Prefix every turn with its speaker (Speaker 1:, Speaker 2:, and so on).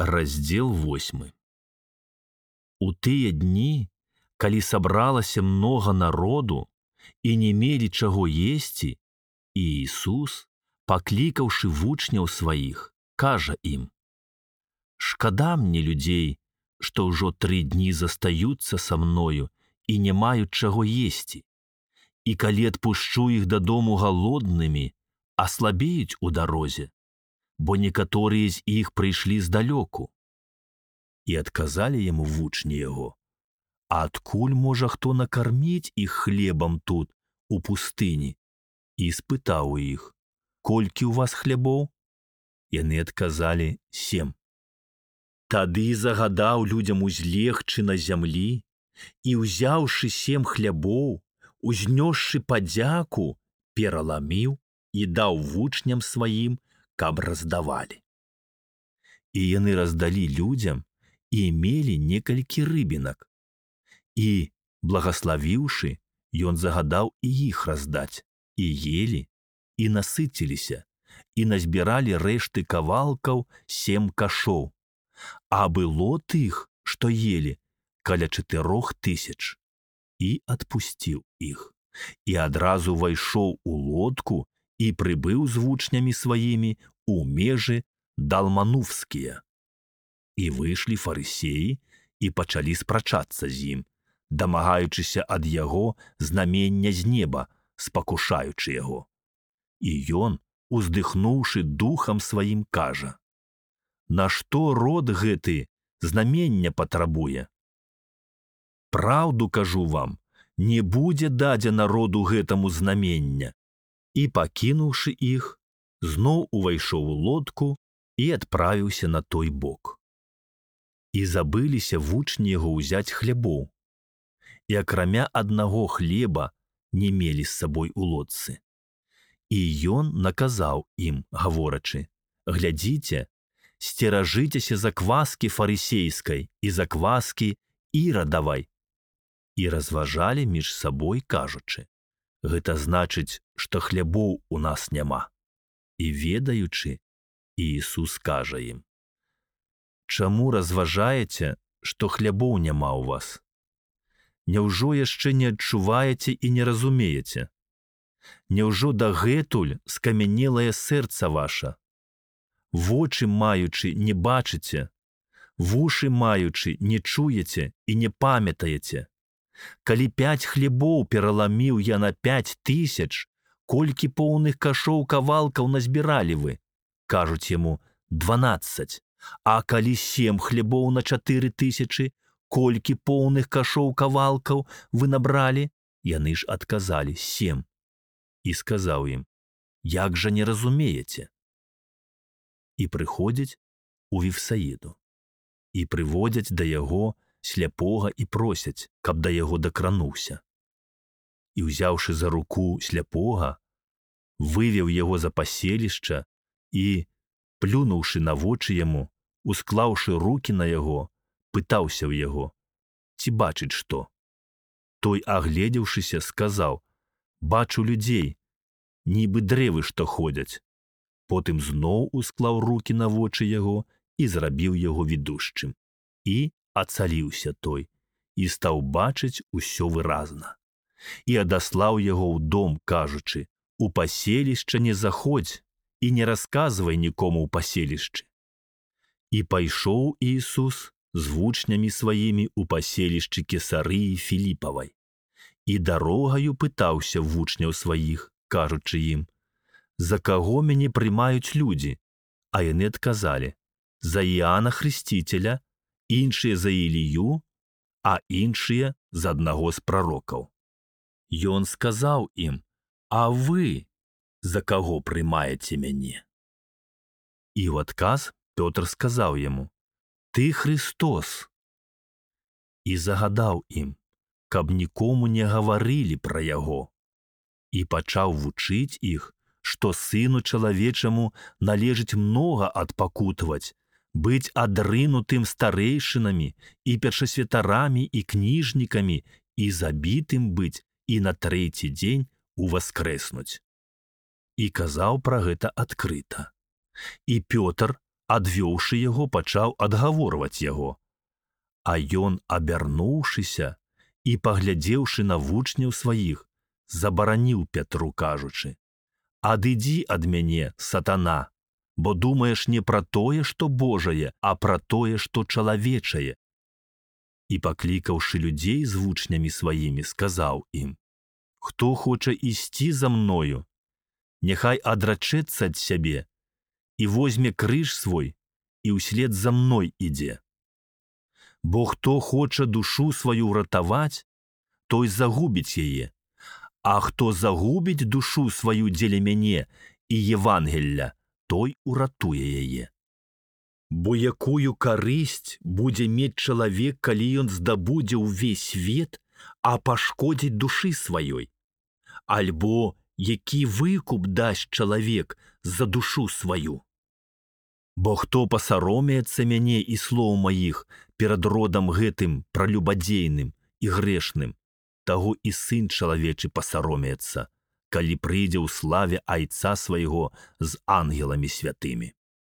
Speaker 1: Раздзел 8. У тыя дні, калі сабралася многа народу і не мелі чаго есці, Іісус, паклікаўшы вучняў сваіх, кажа ім: «Шкада мне людзей, што ўжо 3 дні застаюцца са мною і не маюць чаго есці. І калі адпушчу іх дадому галоднымі, аслабеюць у дарозе, бо некаторыя з іх прыйшлі здалёку». І адказалі яму вучні яго: «А адкуль можа хто накарміць іх хлебам тут, у пустыні?» І спытаў у іх: «Колькі ў вас хлябоў?» Яны адказалі: 7. Тады загадаў людзям узлегчы на зямлі і, узяўшы 7 хлябоў, узнёсшы падзяку, пераламіў і даў вучням сваім, каб раздавалі. І яны раздалі людзям і мелі некалькі рыбінак. І, благаславіўшы, ён загадаў і іх раздаць, і елі, і насыціліся, і назбіралі рэшты кавалкаў 7 кашоў. А было тых, што елі, каля 4000. І адпусціў іх, і адразу вайшоў у лодку і прыбыў з вучнямі сваімі у межы далмануфскія. І выйшлі фарысеі і пачалі спрачацца з ім, дамагаючыся ад яго знамення з неба, спакушаючы яго. І ён, уздыхнуўшы духам сваім, кажа: «Нашто род гэты знамення патрабуе? Праўду кажу вам, не будзе дадзена роду гэтаму знамення». І, пакінуўшы іх, зноў увайшоў у лодку і адправіўся на той бок. І забыліся вучні яго ўзяць хлябоў, і акрамя аднаго хлеба не мелі з сабой у лодцы. І ён наказаў ім, гаворачы: «Глядзіце, сцеражыцеся закваскі фарысейскай і закваскі ірадавай». І разважалі між сабой, кажучы: «Гэта значыць, што хлябоў у нас няма». І ведаючы, Іісус кажа ім: «Чаму разважаеце, што хлябоў няма ў вас? Няўжо яшчэ не адчуваеце і не разумееце? Няўжо дагэтуль скамянелае сэрца ваша? Вочы маючы не бачыце, вушы маючы не чуеце і не памятаеце? Калі 5 хлебоў пераламіў я на 5000, колькі поўных кашоў кавалкаў назбіралі вы?» Кажуць яму: «12. А калі 7 хлебоў на 4000, колькі поўных кашоў кавалкаў вы набралі?» Яны ж адказалі: 7. І сказаў ім: «Як жа не разумееце?» І прыходзяць у Вифсаіду, і прыводзяць да яго сляпога і просяць, каб да яго дакрануўся. І, узяўшы за руку сляпога, вывеў яго за паселішча і, плюнуўшы на вочы яму, усклаўшы рукі на яго, пытаўся ў яго: «Ці бачыць што?» Той, агледзеўшыся, сказаў: «Бачу людзей, нібы дрэвы, што ходзяць». Потым зноў усклаў рукі на вочы яго і зрабіў яго відушчым. І ацаліўся той, і стаў бачыць усё выразна. І адаслаў яго ў дом, кажучы: «У паселішча не заходзь і не расказвай нікому ў паселішчы». І пайшоў Іісус з вучнямі сваімі ў паселішчы Кесарыі Філіпавай. І дарогаю пытаўся вучняў сваіх, кажучы ім: «За каго мяне прымаюць людзі?» А яны адказалі: «За Іана Хрысціцеля, іншыя за Ілію, а іншыя за аднаго з прарокаў». Ён сказаў ім: «А вы за каго прымаеце мяне?» І ў адказ Пётр сказаў яму: «Ты Христос». І загадаў ім, каб нікому не гаварылі пра яго. І пачаў вучыць іх, што Сыну Чалавечаму належыць многа адпакутваць, быць адрынутым старэйшынамі і першасвятарамі і кніжнікамі і забітым быць і на 3-й дзень уваскрэснуць. І казаў пра гэта адкрыта. І Пётр, адвёўшы яго, пачаў адгаворваць яго. А ён, абярнуўшыся і паглядзеўшы на вучняў сваіх, забараніў Пятру, кажучы: «Адыдзі ад мяне, сатана, бо думаеш не пра тое, што Божае, а пра тое, што чалавечае». І, паклікаўшы людзей з вучнямі сваімі, сказаў ім: «Хто хоча ісці за мною, няхай адрачэцца ад сябе і возьме крыж свой і ўслед за мной ідзе. Бо хто хоча душу сваю ўратаваць, той загубіць яе, а хто загубіць душу сваю дзеля мяне і Євангелля, той уратуе яе. Бо якую карысць будзе мець чалавек, калі ён здабудзе ўвесь свет, а пашкодзіць душы сваёй? Альбо які выкуп дасць чалавек за душу сваю? Бо хто пасаромеецца мяне і слоў маіх перад родам гэтым пралюбадзейным і грэшным, таго і сын чалавечы пасаромеецца, калі прыйдзе ў славе Айца свайго з ангеламі святымі».